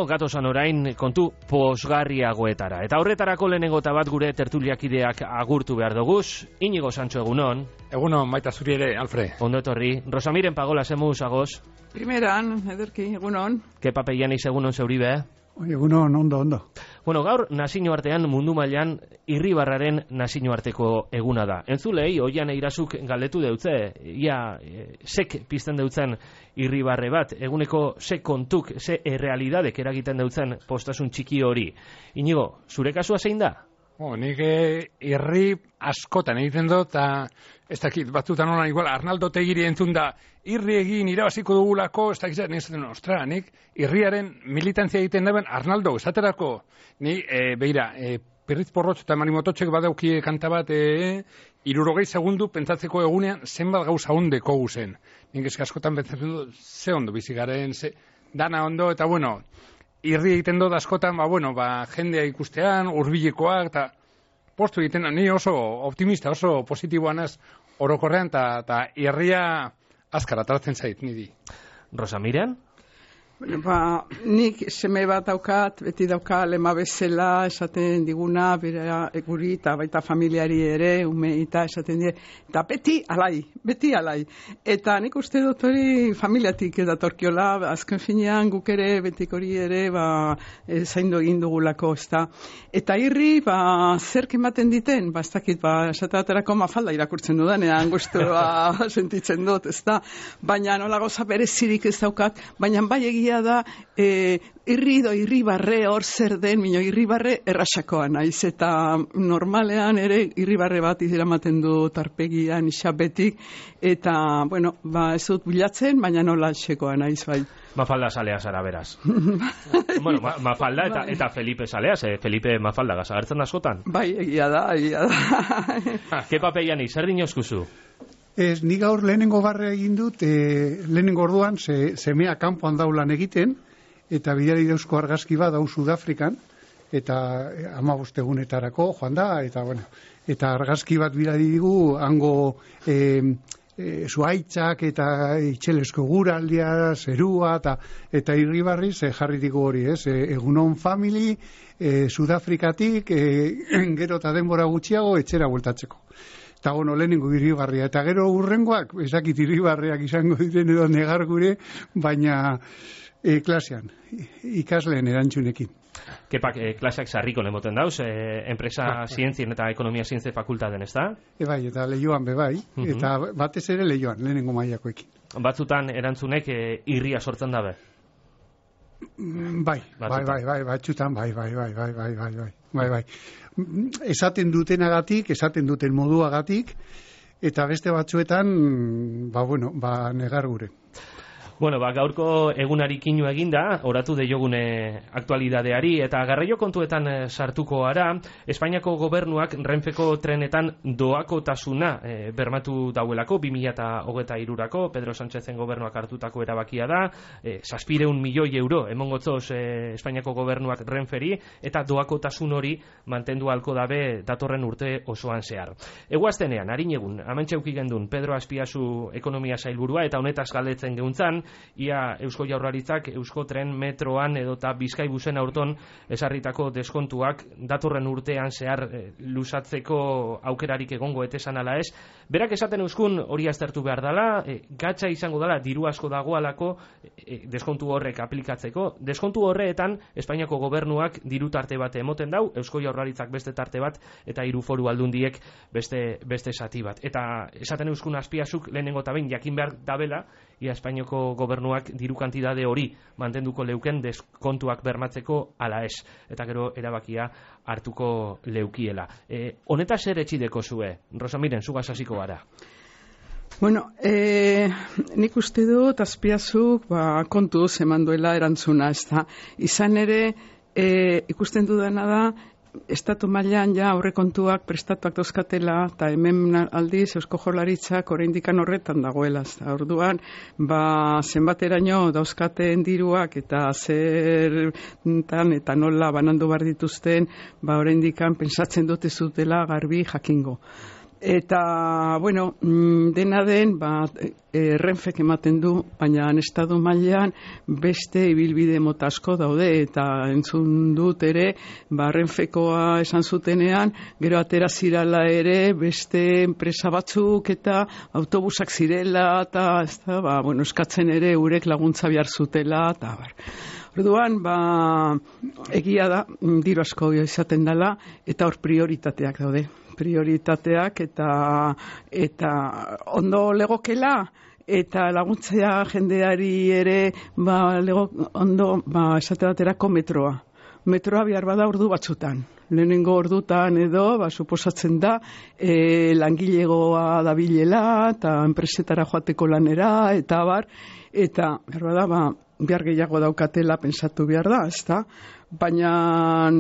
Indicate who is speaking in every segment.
Speaker 1: Gatosan orain kontu posgarriagoetara. Eta horretarako lehenengo eta bat gure tertuliakideak agurtu behar doguz. Inigo Sancho, egunon.
Speaker 2: Egunon, baita zuri ere, Alfred.
Speaker 1: Ondo etorri. Rosamiren Pagola, zemuz, agoz.
Speaker 3: Primeran, ederki, egunon.
Speaker 1: Kepa Peianiz, egunon zeuribe.
Speaker 4: Egunon, ondo.
Speaker 1: Bueno, gaur nazioartean mundu mailan Irribarraren nazioarteko eguna da. Entzulei, Oian Eirazuk galdetu deutze, ia sek pizten deutzen irribarre bat, eguneko ze kontuk, ze errealidadek eragiten deutzen postasun txiki hori. Inigo, zure kasua zein da?
Speaker 2: Nik irri askotan egiten dut, eta ez dakit, batzutan holan igual, Arnaldo Tegiri entzun da, irri egin irabaziko dugulako, ez dakit, nik irriaren militantzia egiten daben Arnaldo, esaterako, beira, Perriz Porrotx eta Marimototxek badaukie kanta bat, 60 segundu pentsatzeko egunean zenbat gauza ondeko guzen. Nik eski askotan pentsatzen dut, ze ondo bizigaren, dana ondo, eta bueno, irri egiten dut askotan, jendea ikustean, hurbilekoak, eta postu egiten, ni oso optimista, oso positiboan ez orokorrean, eta irria azkar atratzen zait, niri.
Speaker 1: Rosamiren?
Speaker 3: Nik seme bat daukat, beti dauka lema bezala esaten diguna, bera guri eta baita familiari ere, ume eta esaten die, eta beti alai. Eta nik uste dut hori familiatik edatorkiola, azken finean guk ere, betik hori ere, zaindu egin dugulako, ezta. Eta irri, zerk ematen diten, ez dakit, esaterako Mafalda irakurtzen dudanean, gustua sentitzen dut, ezta. Baina nola goza berezirik ez daukat, baina bai egia da irribarre hor zer den, irribarre errasakoa naiz, eta normalean ere irribarre bat iramaten du tarpegian isabetik, eta, ez dut bilatzen, baina nola txekoa naiz, bai.
Speaker 1: Mafalda salea zara, beraz. Mafalda eta Felipe salea, Felipe Mafalda gazagertzen da askotan.
Speaker 3: Bai, egia da.
Speaker 1: Kepa Peiani, zer dinozkuzu?
Speaker 4: Nik gaur lehenengo barre egin dut, lehenengo orduan, semea kanpoan daulan egiten, eta bidali dauzko argazki bat dau Sudafrikan, eta 15 egunetarako joan da, eta argazki bat bidali digu, hango zuaitzak eta itxelesko guraldia, zerua, eta irribarri jarri digu hori, egunon family, Sudafrikatik, gero eta denbora gutxiago, etxera bueltatzeko. Eta lehenengo irribarria, eta gero urrengoak, ezakit irribarriak izango diren edo negar gure, baina klasean, ikasleen erantzunekin.
Speaker 1: Kepak, klaseak sarriko lemoten dauz, enpresa zientzien eta ekonomia zientzien fakultaten, ez da?
Speaker 4: Bai, eta lehioan bebai, eta batez ere lehioan, lehenengo mailakoekin.
Speaker 1: Batzutan erantzunek irria sortzen dabe?
Speaker 4: Batzutan, bai. Esaten dutenagatik, esaten duten moduagatik, eta beste batzuetan, negar gure.
Speaker 1: Gaurko egunari kinu eginda, oratu deiogune aktualidadeari, eta garraio kontuetan sartuko ara, Espainiako gobernuak Renfeko trenetan doakotasuna bermatu dauelako, 2023-rako, Pedro Sánchezen gobernuak hartutako erabakia da, 700 milioi euro emongotzoz Espainiako gobernuak Renferi, eta doakotasun hori mantendu halko dabe datorren urte osoan zehar. Eguaztenean, harin egun, amentxeuki gendun Pedro Azpiazu ekonomia sailburua, eta honetaz galdetzen geuntzan, ia Eusko Jaurlaritzak Eusko Tren metroan edota Bizkaibusen aurton esarritako deskontuak datorren urtean zehar luzatzeko aukerarik egongo etesan ala ez. Berak esaten euskun hori aztertu behar dela, gatza izango dela diru asko dagoalako deskontu horrek aplikatzeko. Deskontu horreetan Espainiako gobernuak diru tarte bat emoten dau, Eusko Jaurlaritzak beste tarte bat eta 3 foru aldundiek beste zati bat. Eta esaten euskun Azpiazuk lehenengo eta behin jakin behar dabela, ia Espainiako gobernuak diru kantidade hori mantenduko leuken deskontuak bermatzeko ala ez. Eta gero erabakia hartuko leukiela. Honetaz zer etxideko zue? Rosamiren, zugaz hasiko gara.
Speaker 3: Nik uste dut Azpiazuk kontuz eman duela erantzuna, ez da. Izan ere, ikusten dudana da, estatu mailan ja aurrekontuak prestatuak dauzkatela, eta hemen aldiz Eusko Jaurlaritzak oraindikan horretan dagoela. Orduan, zenbateraino dauzkaten diruak eta zertan eta nola banandu behar dituzten, oraindikan pentsatzen dut ez dutela garbi jakingo. Eta, bueno, dena den, Renfek ematen du, baina estatu mailean beste ibilbide mota asko daude, eta entzun dut ere, Renfekoa esan zutenean, gero atera zirala ere, beste enpresa batzuk eta autobusak zirela, eta eskatzen ere urek laguntza behar zutela, eta Orduan, egia da, diru asko izaten dela, eta hor prioritateak daude. Prioritateak eta ondo legokela, eta laguntzea jendeari ere, ondo, esate baterako metroa. Metroa behar bada ordu batzutan. Lehenengo ordutan edo, suposatzen da, langilegoa dabilela, eta enpresetara joateko lanera, eta behar bada, behar gehiago daukatela pensatu behar da, ezta? Baina,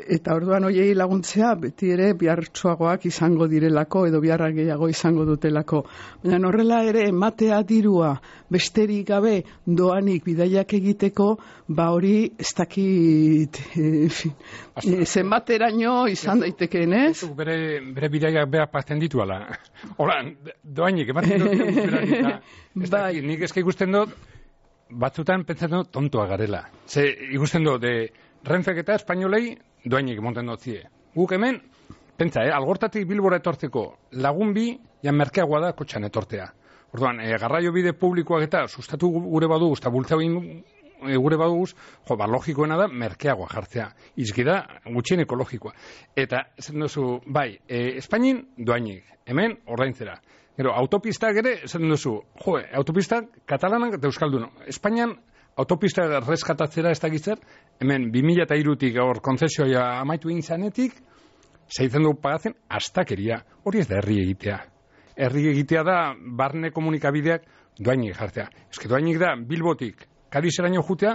Speaker 3: eta orduan hoiei laguntzea, beti ere behartsuagoak izango direlako, edo beharra gehiago izango dutelako. Baina horrela ere, ematea dirua, besterik gabe doanik bidaiak egiteko, hori ez dakit, zenbateraino izan daitekeen, ez?
Speaker 2: Bere bidaiak behar pazten ditu, ala. Hola, doainik, ematen dut, nik ezka ikusten dut, batzutan pentsatzen dut tontoa garela. Ikusten dut, Renfek eta espainolei doainik monten dut zie. Guk hemen, pentsa, Algortatik Bilbora etortzeko lagun bi, merkeagoa da kotxan etortea. Orduan, garraio bide publikoak eta sustatu gure baduguz, eta bultzau gure baduguz, logikoena da merkeagoa jartzea. Izki da, gutxien ekologikoa. Eta, esan duzu, Espainin doainik, hemen ordaintzera. Gero, autopistak ere, esan duzu, autopistak katalanak eta euskaldun. Espainian, autopistak reskatatzera ez dakitzer, hemen 2003-tik gaur konzesioa amaitu intzanetik, zeitzen dugu pagatzen, astakeria. Hori ez da herri egitea. Herri egitea da, barne komunikabideak doainik jartzea. Eske doainik da, Bilbotik, Kadizeraino jutea,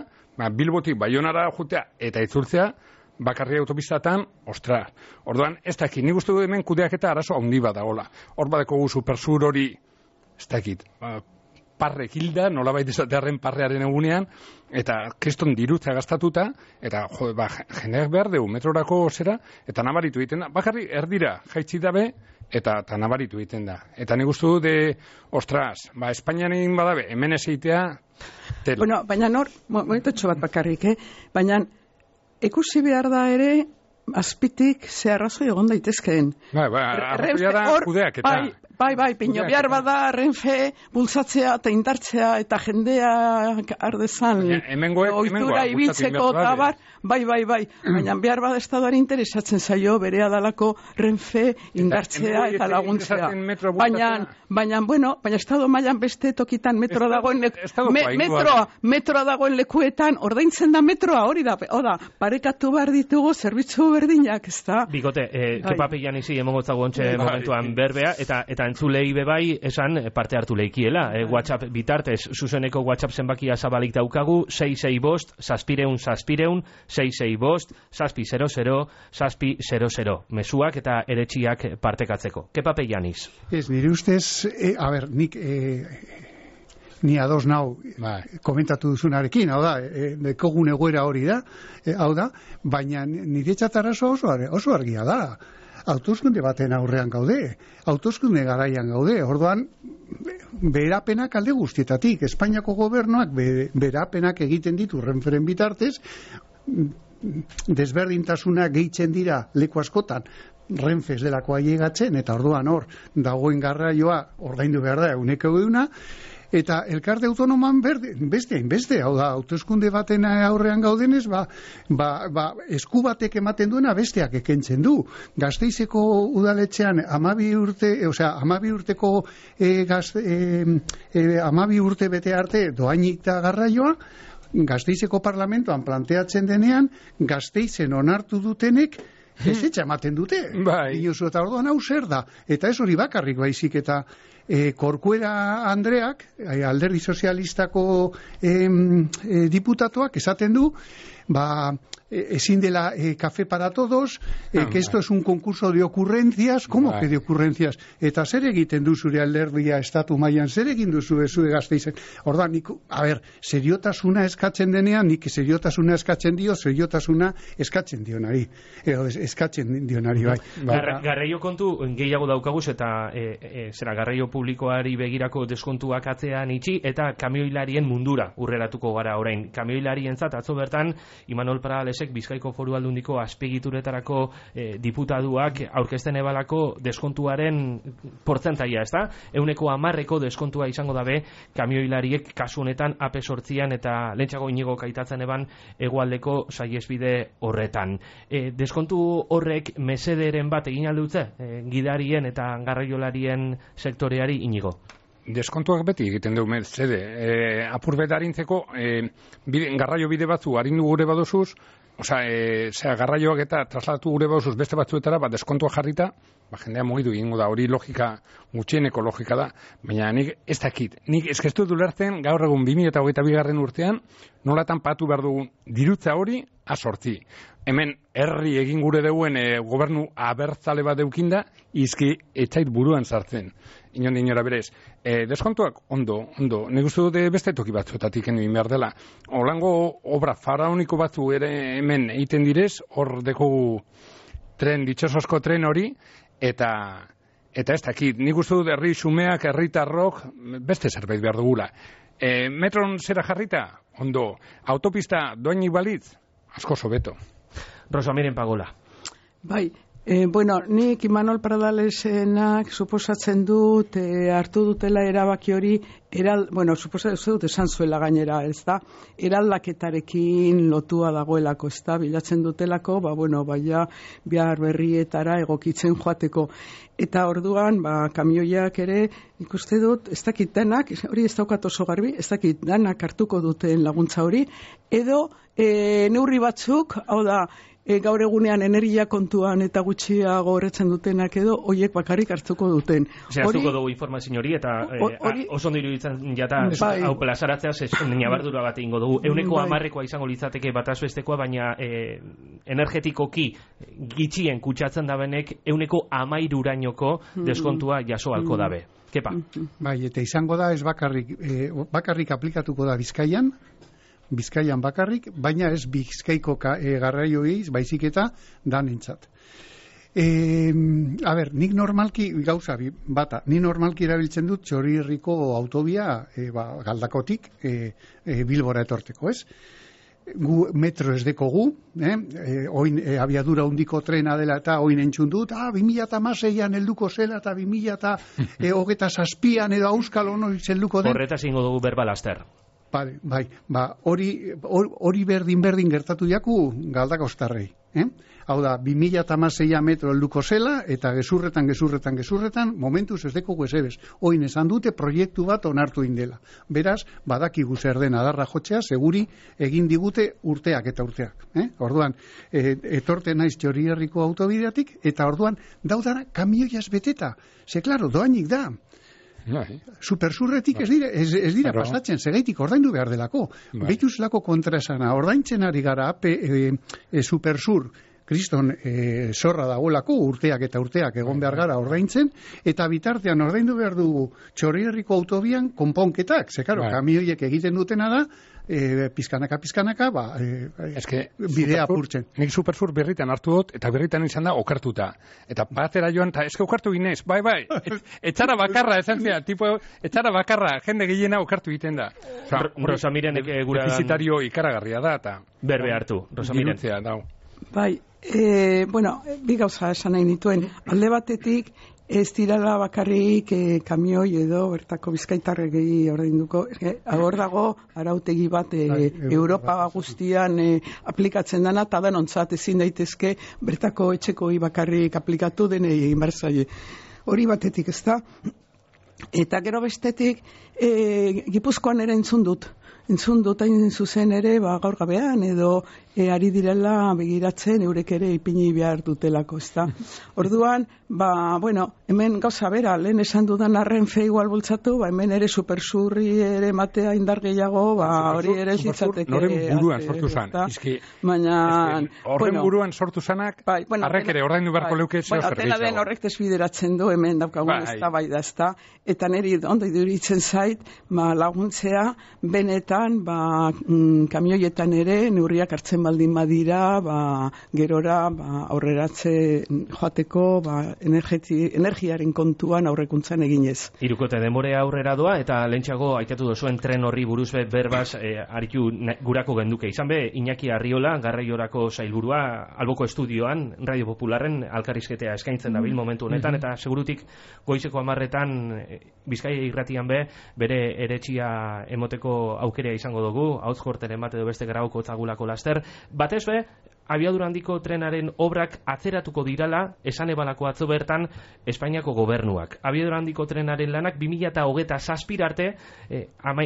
Speaker 2: Bilbotik Baionara jutea, eta itzultzea, bakarri autopistatan, Orduan, ez dakit, nik uste du hemen kudeaketa arazo handi badagola. Hor badeko guzu persur hori, ez dakit, parrek hilda, nolabait esatearen parrearen egunean, eta keston dirutza gastatuta, eta jendeak behar dugu metrorako zera, eta nabaritu egiten da. Bakarri erdira jaitsi dabe, eta nabaritu egiten da. Eta nik uste du Espainian egin badabe, hemen ez egitea, tela.
Speaker 3: Bueno, baina momentetxo bat bakarrik, baina ikusi behar da ere, azpitik ze arrazoi egon daitezkeen.
Speaker 2: Arrazoia da kudeak eta...
Speaker 3: Pino behar bada Renfe bultzatzea eta indartzea eta jendea ardezan ohitura ibiltzeko eta bai. Baina behar bada estadoari interesatzen zaio berea dalako Renfe indartzea eta laguntzea. Baina estado mailan beste tokitan metroa dagoen lekuetan ordaintzen da metroa, hori da, parekatu behar ditugu zerbitzu berdinak, ez da?
Speaker 1: Bikote, kepapian izi emongotzago ontxe momentuan berbea, eta entzulei bebai esan parte hartu leikiela. WhatsApp bitartez, zuzeneko WhatsApp zenbakia zabalik daukagu, 665-600, 665-600, mezuak eta eretxiak partekatzeko. Kepape Janiz.
Speaker 4: Ez, nire ustez, ni ados nau komentatu duzunarekin, hau da, dekogun egoera hori da, hau da, baina nire txatarazo oso argia da. Hauteskunde baten aurrean gaude, hauteskunde garaian gaude, orduan berapenak alde guztietatik, Espainiako gobernuak berapenak egiten ditu Renferen bitartez, desberdintasuna gehitzen dira leku askotan, Renfe ez delako ailegatzen, eta orduan hor dagoen garraioa ordaindu behar da 100%, eta elkarte autonoman beste, hau da, hauteskunde baten aurrean gaudenez, esku batek ematen duena besteak ekentzen du. Gasteizeko udaletxean 12 urteko 12 urte bete arte doainik da garraioa, Gasteizeko parlamentoan planteatzen denean, Gasteizen onartu dutenek ezetxa ematen dute. Inozu, eta orduan hau zer da. Eta ez hori bakarrik baizik, eta Corcuera Andreak, alderdi sozialistako diputatuak esaten du, ezin dela café para todos, que esto es un concurso de ocurrencias, ¿cómo que de ocurrencias? Eta zer egiten du zure alderdia estatu mailan, zer egin duzu zure Gasteizen? Orda, seriotasuna eskatzen denean, nik seriotasuna eskatzen dio, seriotasuna eskatzen dionari. Eskatzen dionari, bai.
Speaker 1: Garraio kontu gehiago daukaguz eta garraio publikoari begirako deskontuak atzean itxi eta kamioilarien mundura urreratuko gara orain. Kamioilarientzat atzo bertan Imanol Pradalesek Bizkaiko Foru Aldundiko azpegituretarako diputaduak aurkezten ebalako deskontuaren portzentaia, ezta? 110% deskontua izango dabe kamioilariek kasu honetan AP8an eta lehentxago Inigo Kaitatzen eban hegoaldeko saihesbide horretan. Deskontu horrek mesederen bat egin aldutze gidarien eta garraiolarien sektoreari, Inigo?
Speaker 2: Deskontuak beti egiten dugu mesede. Apur bet arintzeko garraio bide batzu arindu gure badozuz, garraioak eta trasladatu gure badozuz beste batzuetara, deskontua jarrita, jendea mugitu egingo da, hori logika, gutxieneko logika da, baina nik ez dakit. Nik eskestu dulertzen gaur egun 2022 urtean, nolatan patu behar dugun dirutza hori A8. Hemen herri egin gure deuen gobernu abertzale bat deukinda, izki etxait buruan sartzen. Inondi inora berez. Deskontuak ondo. Nik uste dute beste toki batzuetatik egin behar dela. Holango obra faraoniko batzu ere hemen egiten direz, hor dekogu ditxosozko tren hori, eta ez dakit. Nik uste dut herri xumeak, herritarrok, beste zerbait behar dugula. Metron zera jarrita? Ondo. Autopista doainik balitz? Asko sobeto.
Speaker 1: Rosa Miren Pagola.
Speaker 3: Bai, nik Imanol Pradalesenak suposatzen dut hartu dutela erabaki hori, suposatzen dut esan zuela gainera, ez da, eraldaketarekin lotua dagoelako, ez da, bilatzen dutelako, bihar berrietara egokitzen joateko. Eta orduan, kamioiak ere, ikuste dut, ez dakit danak, hori ez daukat oso garbi, ez dakit danak hartuko duten laguntza hori, edo neurri batzuk, hau da, gaur egunean energia kontuan eta gutxiago horretzen dutenak edo, hoiek bakarrik hartuko duten.
Speaker 1: Zehaztuko dugu informazio hori eta oso ondo iruditzen jata hau plazaratzea nabardura bat egingo dugu. 110%koa izango litzateke bataz bestekoa, baina energetikoki gitxien kutsatzen dabenek 113%ko deskontua jaso halko dabe. Kepa?
Speaker 4: Bai, eta izango da ez bakarrik aplikatuko da Bizkaian bakarrik, baina ez Bizkaiko garraioei, baizik eta danentzat. Nik normalki, nik normalki erabiltzen dut Txorierriko autobia Galdakotik Bilbora etorteko, ez? Gu metro ez dekogu, oin abiadura hundiko trena dela eta oin entzun dut, 2016an helduko zela eta 2027an edo auskal ono helduko den.
Speaker 1: Horretaz ingo dugu berbalaster.
Speaker 4: Bai, hori berdin gertatu jaku Galdakostarrei. Hau da, 2016 metro helduko zela, eta gezurretan, momentuz ez dekogu ezebez. Oin esan dute proiektu bat onartu indela. Beraz, badakigu zer den adarra jotzea, seguri egin digute urteak eta urteak. Orduan, etorte naiz Txorierriko autobideatik, eta orduan, daudara kamioiaz beteta. Ze, klaro, doainik da. Supersurretik ez dira pasatzen, segeitik ordaindu behar delako. Behituzlako kontraesana, ordaintzen ari gara Supersur, kriston zorra dagoelako, urteak eta urteak egon behar gara ordaintzen, eta bitartean ordaindu behar dugu Txorierriko autobian konponketak, ze karo, kamioiek egiten dutena da, pizkanaka, bidea apurtzen.
Speaker 2: Nik Supersur berritan hartu dut, eta berritan izan da okertuta. Eta batera joan, eta eske okertu ginez, bai, etxara bakarra, esan zea, etxara bakarra, jende gehiena okertu egiten da.
Speaker 1: Rosa Mirenek gura...
Speaker 2: Defizitario ikaragarria da, eta...
Speaker 1: Berbe hartu, Rosa Miren.
Speaker 3: Bai, bi gauza esan nahi nituen. Alde batetik, ez dirala bakarrik kamioi edo bertako bizkaitarregei ordainduko. Hor dago arautegi bat Europa guztian aplikatzen dana, eta danontzat ezin daitezke bertako etxekoi bakarrik aplikatu denei egin behar zaie. Hori batetik, ez da? Eta gero bestetik, Gipuzkoan ere entzun dut. entzun dutain zuzen ere, gaur gabean, edo ari direla begiratzen eurek ere ipini behar dutelako, ezta. Orduan, hemen gauza bera, lehen esan dudan Renfe igual bultzatu, hemen ere supersurri ere matea indar gehiago, hori ere zitzateke.
Speaker 2: Noren buruan sortu zan. Horren buruan sortu zanak, arrek ere ordaindu beharko leuke zeo zerbitzago. Atena
Speaker 3: den horrek desbideratzen du, hemen daukagun ez da bai da, ezta. Eta niri ondo iduritzen zait, laguntzea, benetan, kamioietan ere, neurriak hartzen baldin badira, gerora aurreratze joateko energiaren kontuan aurrekuntzan eginez.
Speaker 1: Hirukote denbore aurrera doa eta lentsago aitatu duzuen tren horri buruz berbaz aritu gurako genduke. Izan be, Iñaki Arriola, garraiorako sailburua, alboko estudioan, Radio Popularren alkarrizketea eskaintzen dabil momentu honetan, eta segurutik goizeko 10:00 Bizkaia irratian bere eretxia emoteko aukerea izango dugu, hautz jorteren bat edo beste grauko zagulako laster. Batez be, abiadura handiko trenaren obrak atzeratuko dirala, esan ebalako atzo bertan Espainiako gobernuak. Abiadura handiko trenaren lanak 2027 arte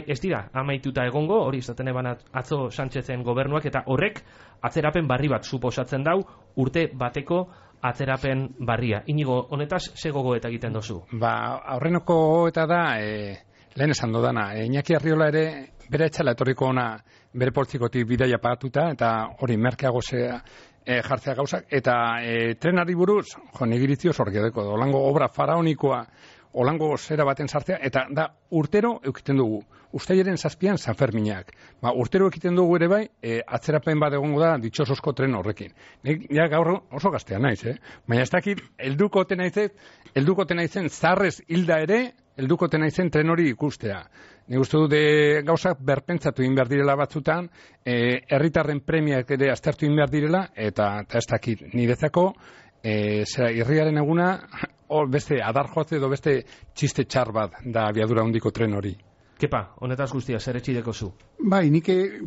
Speaker 1: ez dira amaituta egongo, hori izaten eban atzo Sánchezen gobernuak, eta horrek atzerapen barri bat suposatzen dau, urte bateko atzerapen barria. Inigo, honetaz, ze gogoeta egiten dozu?
Speaker 2: Aurrenoko gogoeta da, lehen esan dodana, Iñaki Arriola ere bere etxala etorriko ona bere poltsikotik bidaia pagatuta, eta hori merkeago jartzea gauzak, eta trenari buruz, negirizio zorgedeko, olango obra faraonikoa, olango zera baten sartzea, eta da urtero eukiten dugu. Uztailaren 7an San Ferminak. Urtero ekiten dugu ere bai, atzerapen bat egongo da ditxosozko tren horrekin. Ja gaur oso gaztea naiz, baina ez dakit, heldukote naizen zarrez hilda ere, heldukote naizen tren hori ikustea. Nik uste dute gauzak berpentsatu egin behar direla batzutan, herritarren premiak ere aztertu egin behar direla, eta ez dakit, niretzako, irriaren eguna, beste adar joatze edo beste txiste txar bat da abiadura handiko tren hori.
Speaker 1: Kepa, honetaz guztia, zer etxideko zu?
Speaker 4: Bai,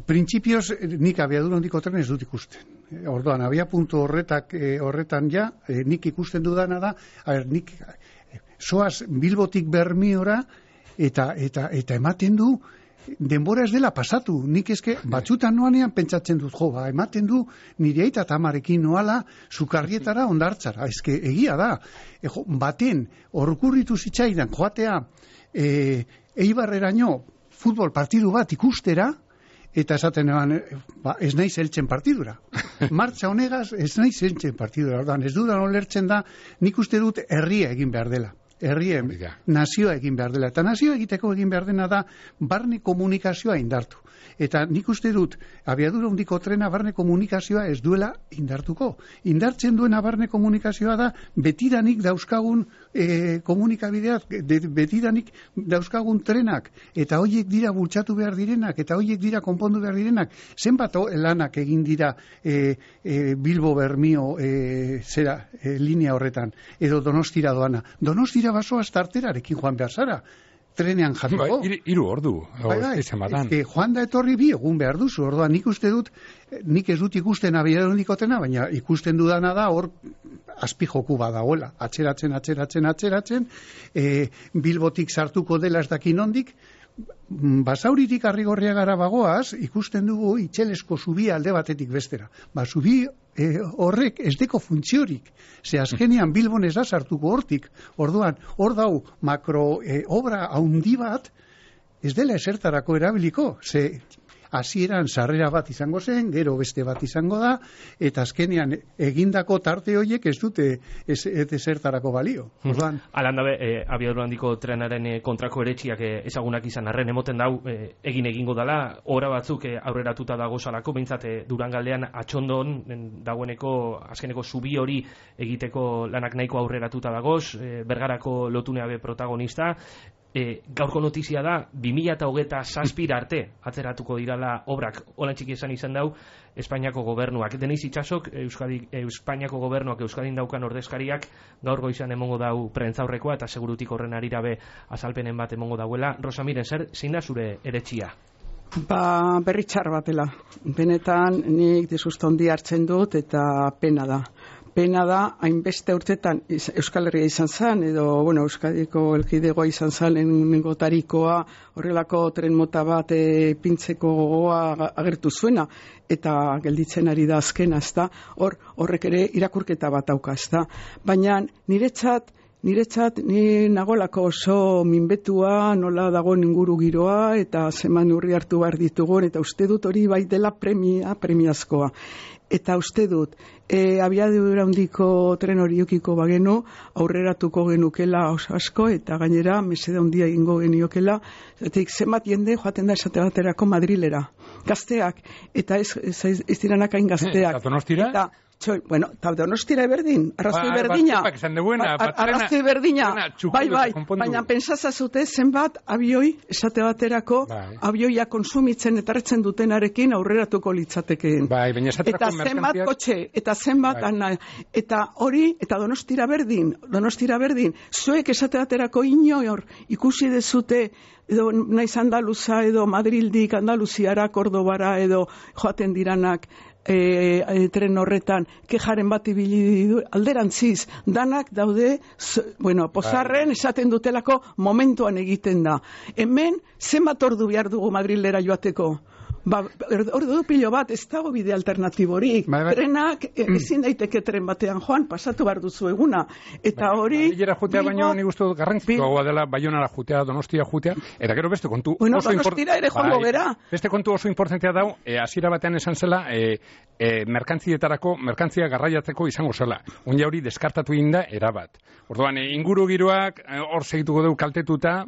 Speaker 4: printzipioz, nik abiadura handiko tren ez dut ikusten. Orduan, abia puntu horretan ja, nik ikusten dudana da, nik soaz Bilbotik Bermiora, eta ematen du, denbora ez dela pasatu. Nik eske batzutan noanean pentsatzen dut, ematen du nire aita eta amarekin noala Sukarrietara Hondartzara. Eske egia da. Baten, orkurritu zitzaidan joatea Eibarreraino futbol partidu bat ikustera, eta esaten eban, ez naiz heltzen partidura. Martxa honegaz, ez naiz heltzen partidura. Ez dudan olertzen da, nik uste dut herria egin behar dela. Nazioa egin behar dela. Eta nazioa egiteko egin behar dena da barne komunikazioa indartu. Eta nik uste dut, abiadura handiko trena barne komunikazioa ez duela indartuko. Indartzen duena barne komunikazioa da betidanik dauzkagun komunikabideak, betidanik dauzkagun trenak, eta horiek dira bultzatu behar direnak, eta horiek dira konpondu behar direnak. Zenbat lanak egin dira Bilbo-Bermio linea horretan, edo Donostira doana. Donostira basoa starterarekin joan behar zara. Trenean jatuko.
Speaker 2: 3 ordu.
Speaker 4: Joan da etorri 2 egun behar duzu. Orduan nik uste dut, nik ez dut ikusten abiadura handikotena, baina ikusten dudana da hor azpijoku badagoela. Atzeratzen. Bilbotik sartuko dela ez dakin ondik. Basauritik Arrigorriagara bagoaz, ikusten dugu Itxelesko zubia alde batetik bestera. Zubi horrek ez deko funtziorik. Ze azkenean Bilbon ez da sartuko hortik. Orduan, hor dau makro obra haundi bat, ez dela esertarako erabiliko. Ze hasieran sarrera bat izango zen, gero beste bat izango da, eta azkenean egindako tarte horiek ez dute ezertarako balio.
Speaker 1: Alan dabe, abiadura handiko trenaren kontrako eretxiak ezagunak izan arren, emoten dau egin egingo dela, ora batzuk aurreratuta dago salako, behintzat Durangaldean atxondon dagoeneko azkeneko zubi hori egiteko lanak nahiko aurreratuta dagoz, Bergarako lotuneabe protagonista. Gaurko notizia da 2027 arte atzeratuko dirala obrak. Olan txiki esan izan dau Espainiako gobernuak. Deniz Itxasok, Espainiako gobernuak Euskadin daukan ordezkariak gaur goizan emongo dau prentzaurrekoa, eta segurutik horren arirabe azalpenen bat emongo dauela. Rosamiren, zein da zure eretxia?
Speaker 3: Berri txar batela. Benetan nik desusta handi hartzen dut eta pena da. pena da, hainbeste urtetan Euskal Herria izan zen, edo, Euskadiko elkidegoa izan zen, lehenengo tarikoa, horrelako tren mota bat pintzeko gogoa agertu zuena, eta gelditzen ari da azkena, ezta? Horrek ere irakurketa bat dauka, ezta? Baina niretzat, ni nagolako oso minbetua, nola dagoen inguru giroa, eta zeman urri hartu behar ditugun, eta uste dut hori bai dela premiazkoa. Eta uste dut, abiadura handiko tren hori eukiko bagenu, aurreratuko genukela oso asko, eta gainera mesede handia egingo geniokela, zenbat jende joaten da esate baterako Madrilera. Gazteak, eta ez diranak hain gazteak.
Speaker 2: Eta Donostira?
Speaker 3: Eta Donostira berdin, arrazoi berdina. Arrazoi berdina, bai, baina pentsazazute zenbat abioi, esate baterako, abioia konsumitzen eta hartzen dutenarekin aurreratuko litzatekeen. Eta zenbat kotxe, eta zenbat eta hori, eta Donostira berdin, zuek esate baterako inor ikusi dezute, edo naiz Andaluza, edo Madrildik Andaluziara, Kordobara, edo joaten diranak, tren horretan kejaren bat ibili du, alderantziz, danak daude, pozarren esaten dutelako momentuan egiten da. Hemen, zenbat ordu behar dugu Madrilera joateko? Ordu pilo bat, ez dago bide alternatiborik. Trenak, ezin daiteke tren batean joan, pasatu behar duzu eguna. Eta hori...
Speaker 2: Madrilera jutea baino nik uste dut garrantzikoa dela Baionara jutea, Donostia jutea, eta gero beste kontu...
Speaker 3: Donostira ere joango gera.
Speaker 2: Beste kontu oso importantea dau, hasiera batean esan zela, merkantzia garraiatzeko izango zela. Oina hori deskartatu egin da erabat. Orduan, inguru giroak hor segituko dugu kaltetuta,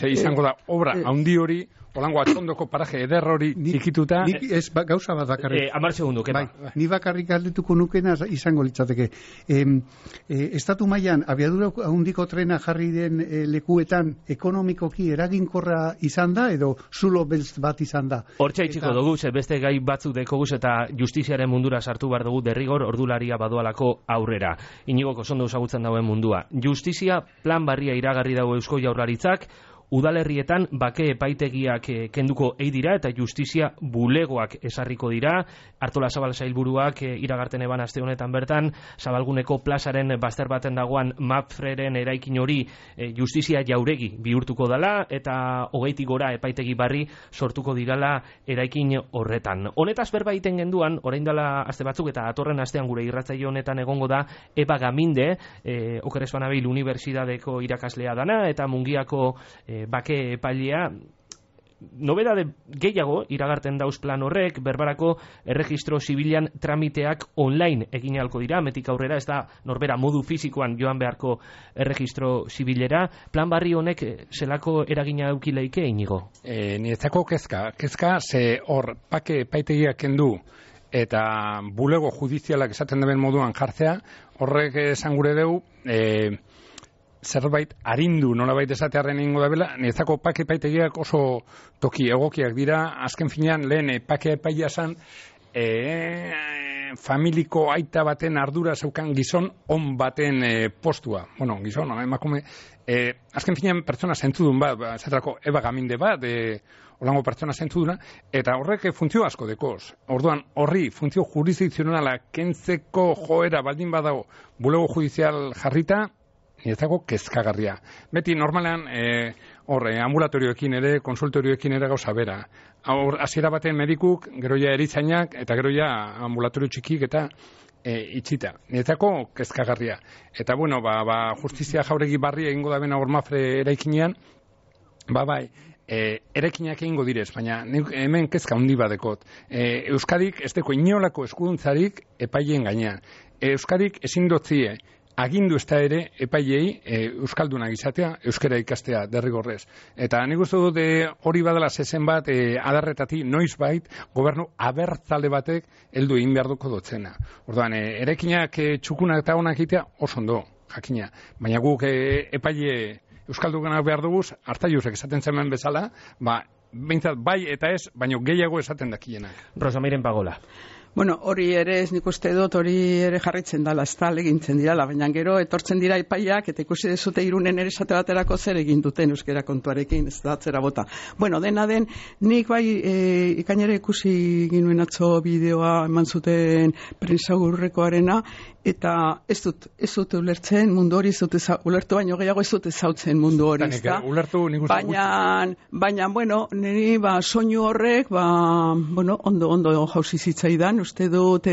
Speaker 2: izango da obra handi hori, Olango atondoko paraje eder hori ikituta...
Speaker 4: Nik ez gauza bat bakarrik.
Speaker 1: 10 segundu, kepa.
Speaker 4: Ni bakarrik galdetuko nukena izango litzateke. Estatu mailan abiadura handiko trena jarri den lekuetan ekonomikoki eraginkorra izan da edo zulo beltz bat izan da?
Speaker 1: Hortxe itxiko dugu, beste gai batzuk dekoguz eta justiziaren mundura sartu behar dugu derrigor ordularia badoalako aurrera. Inigoko ondo ezagutzen dauen mundua. Justizia plan barria iragarri dago Eusko Jaurlaritzak, udalerrietan bake epaitegiak kenduko dira eta justizia bulegoak esarriko dira. Artolazabal sailburuak iragarten eban aste honetan bertan, Zabalguneko plazaren bazter baten dagoan Mapfreren eraikin hori justizia jauregi bihurtuko dela eta 20 gora epaitegi barri sortuko dirala eraikin horretan. Honetaz berba egiten genduan, orain dela aste batzuk eta atorren astean gure irratzaio honetan egongo da Eba Gaminde, Oker ez banabil Unibertsitateko irakaslea dana eta Mungiako bake epailea. Nobedade gehiago iragarten dauz plan horrek, berbarako erregistro zibilan tramiteak online egin ahalko dira, metik aurrera, ez da norbera modu fizikoan joan beharko erregistro zibilera. Plan barri honek zelako eragina eukileike Inigo?
Speaker 2: Niretzako kezka ze hor bake epaitegiak kendu eta bulego judizialak esaten den moduan jartzea, horrek esan gure dugu, zerbait arindu nolabait esatearren ingo da bela, niretzako pake epaitegiak oso toki egokiak dira, azken finean lehen pake epaia zan, familiko aita baten ardura zeukan gizon on baten postua. Gizon, emakume, azken finean pertsona zentzudun bat, esaterako Eba Gaminde bat, olango pertsona zentzuduna, eta horrek funtzio asko dekoz. Orduan, horri funtzio jurisdikzionala kentzeko joera baldin badago bulego judizial jarrita, niretzako kezkagarria. Beti normalean ambulatorioekin ere, konsultorioekin ere gauza bera. Hasiera baten medikuk, gero ja eritzainak, eta gero ja ambulatorio txikik eta itxita. Niretzako kezkagarria. Eta justizia jauregi barri egingo da bena Mapfre eraikinean, eraikinak egingo direz, baina hemen kezka handi badekot. Euskadik ez deko inolako eskuduntzarik epaileen gainean. Euskadik ezin dotzie agindu ez da ere epailei euskaldunak izatea, euskara ikastea derrigorrez. Eta nik uste dut hori badala zezen bat adarretati noizbait gobernu abertzale batek heldu egin behar duko dotzena. Orduan, erekinak txukunak eta onak egitea oso ondo, jakina. Baina guk epaile euskaldunak behar duguz, Artaiusek esaten zemen bezala, behintzat bai eta ez, baina gehiago esaten dakienak.
Speaker 1: Rosa Mairen Pagola.
Speaker 3: Bueno, hori ere ez nik uste dut, hori ere jarritzen dala, ez da, legintzen dirala, baina gero etortzen dira epaiak, eta ikusi dezute Irunen ere esate baterako zer egin duten euskera kontuarekin, ez da, atzera bota. Bueno, dena den, nik bai ikainera ikusi ginuen atzo bideoa eman zuten prensaurrekoarena, eta ez dut ulertzen mundu hori, ez dut ulertu baino gehiago ez dut ezautzen mundu hori, ez da? Baina, bueno, niri soinu horrek, ondo jauzi zitzaidan, uste dut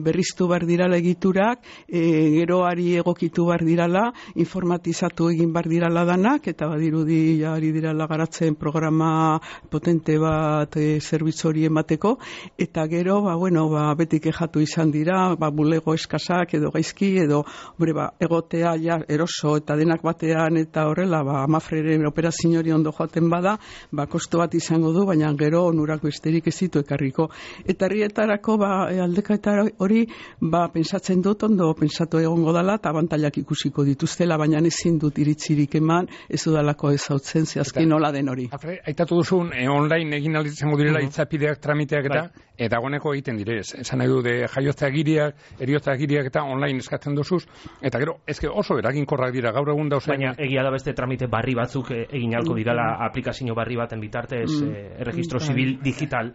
Speaker 3: berriztu behar dirala egiturak, geroari egokitu behar dirala, informatizatu egin behar dirala danak, eta badirudi ari dirala garatzen programa potente bat zerbitzu hori emateko, eta gero, beti kexatu izan dira, bulego eskasak edo gaizki, edo egotea eroso eta denak batean, eta horrela, Mafreren operazio hori ondo joaten bada, kostu bat izango du, baina gero onurako esterik ez ditu ekarriko. Eta herrietarako aldeketa hori pentsatzen dut ondo pentsatu egongo dela eta abantailak ikusiko dituztela, baina ezin dut iritzirik eman, ez dudalako ezautzen zehazki nola den hori.
Speaker 2: Aitatu duzun, online egin izango direla itzapideak, tramiteak eta dagoeneko egiten direz. Esan nahi du, jaiotza agiriak, eriotza agiriak eta online eskatzen duzuz, eta gero, oso eraginkorrak dira, gaur egun dauzen.
Speaker 1: Baina egia da beste tramite barri batzuk egin alko dirala aplikazio barri baten bitartez, erregistro zibil digital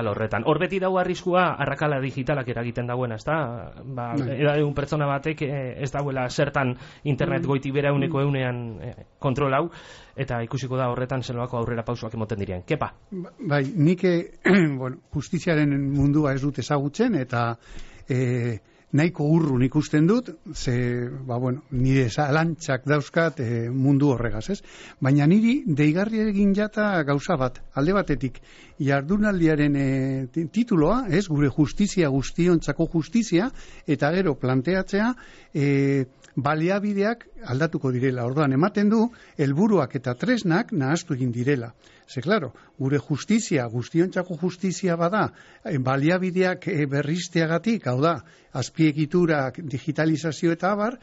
Speaker 1: horretan. Hor beti dago arriskua arrakala digitalak eragiten dagoena, ez da? Egun pertsona batek ez dauela zertan internet goiti bera euneko eunean kontrol hau, eta ikusiko da horretan zeloako aurrera pausoak emoten diren. Kepa?
Speaker 4: Bai, nik justiziaren mundua ez dut ezagutzen, eta nahiko urrun ikusten dut, nire zalantzak dauzkat mundu horregaz, ez? Baina niri deigarri egin jata gauza bat, alde batetik, jardunaldiaren tituloa, ez? Gure justizia, guztiontzako justizia, eta gero planteatzea, baliabideak aldatuko direla. Orduan, ematen du, helburuak eta tresnak nahastu egin direla. Ze, klaro, gure justizia, guztiontzako justizia bada, baliabideak berrizteagatik, hau da, azpiegiturak, digitalizazio eta abar,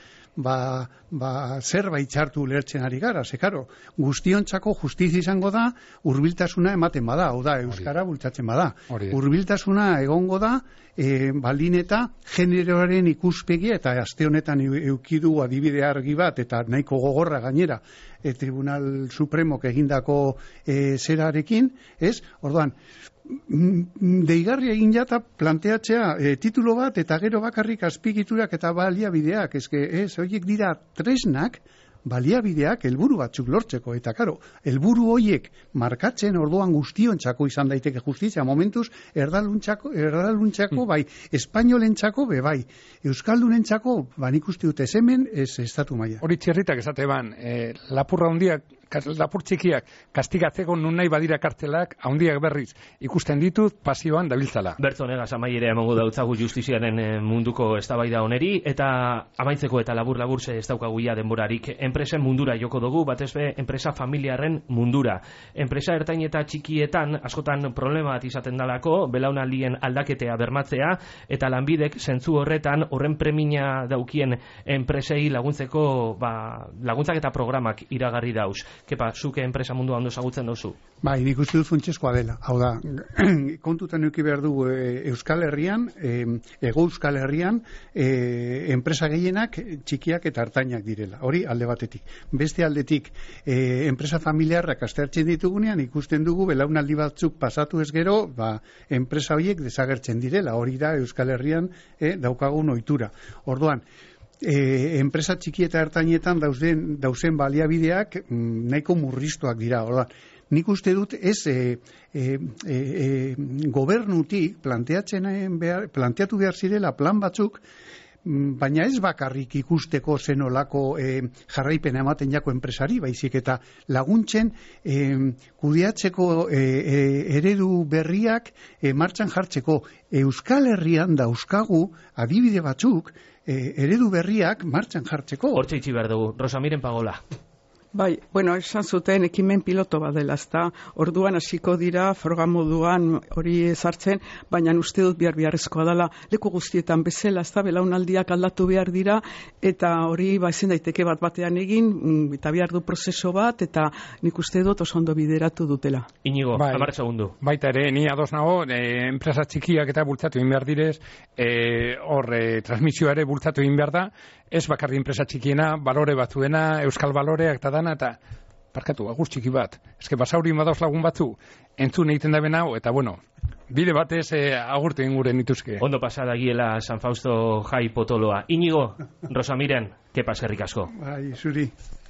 Speaker 4: zerbait txartu lertzen ari gara. Ze, klaro, guztiontzako justizia izango da, hurbiltasuna ematen bada, hau da, euskara bultzatzen bada. Hurbiltasuna egongo da, baldin eta generoaren ikuspegia, eta aste honetan eukidu adibide argi bat, eta nahiko gogorra gainera, Tribunal Supremok egindako zerarekin, ez? Orduan, deigarria egin jata planteatzea titulo bat, eta gero bakarrik azpigiturak eta baliabideak, horiek dira tresnak, baliabideak helburu batzuk lortzeko, eta karo, helburu horiek markatzen orduan guztiontzako izan daiteke justizia, momentuz erdaluntzako bai, espainolentzako bai, euskaldunentzako nik uste dute hemen ez estatu maila.
Speaker 2: Hori txerritak esate ban, lapurra hundiak, lapur txikiak kastigatzeko nun nahi badira kartelak, handiak berriz ikusten ditut pasioan dabiltzala.
Speaker 1: Bertzo negaz amaiera emango dautzagu justiziaren munduko eztabaida oneri, eta amaitzeko eta labur ze ez daukagu ja denborarik. Enpresen mundura joko dugu, batez be enpresa familiarren mundura. Enpresa ertain eta txikietan askotan problema bat izaten dalako, belaunaldien aldaketea bermatzea, eta lanbidek zentzu horretan horren premia daukien enpresei laguntzeko laguntzak eta programak iragarri dauz. Kepa, zuke enpresa mundua ondo ezagutzen duzu?
Speaker 4: Bai, nik uste dut funtsezkoa dela. Hau da, kontutan eduki behar dugu Euskal Herrian, Hego Euskal Herrian, enpresa gehienak txikiak eta ertainak direla. Hori alde batetik. Beste aldetik, enpresa familiarrak aztertzen ditugunean, ikusten dugu belaunaldi batzuk pasatu ez gero, enpresa horiek desagertzen direla. Hori da Euskal Herrian daukagun ohitura. Orduan, enpresa txiki eta ertainetan dauzen baliabideak nahiko murriztuak dira. Orduan, nik uste dut ez gobernutik planteatu behar zirela plan batzuk, baina ez bakarrik ikusteko zenolako jarraipena ematen jako enpresari, baizik eta laguntzen kudeatzeko eredu berriak martxan jartzeko. Euskal Herrian dauzkagu adibide batzuk eredu berriak martxan jartzeko.
Speaker 1: Hortxe itxi behar dugu. Rosamiren Pagola.
Speaker 3: Bai, bueno, esan zuten ekimen piloto bat dela, ezta? Orduan hasiko dira froga moduan hori ezartzen, baina uste dut beharrezkoa dela leku guztietan bezala, ezta? Belaunaldiak aldatu behar dira eta hori ezin daiteke bat batean egin, eta behar du prozeso bat eta nik uste dut oso ondo bideratu dutela.
Speaker 1: Inigo,
Speaker 2: Bai.
Speaker 1: 10 segundu.
Speaker 2: Baita ere, ni ados nago, enpresa txikiak eta bultzatu egin behar direz, transmisioa ere bultzatu egin behar da, ez bakarri enpresa txikiena, balore batzuena, euskal baloreak eta dana, eta parkatu, agur txiki bat. Eske basauri madauz lagun batzu, entzun egiten da benau, eta bueno, bide batez agurtu egin gure nituzke.
Speaker 1: Ondo pasada giela San Fausto jai potoloa. Inigo, Rosamiren, kepa eskerrik asko.
Speaker 4: Bai, zuri.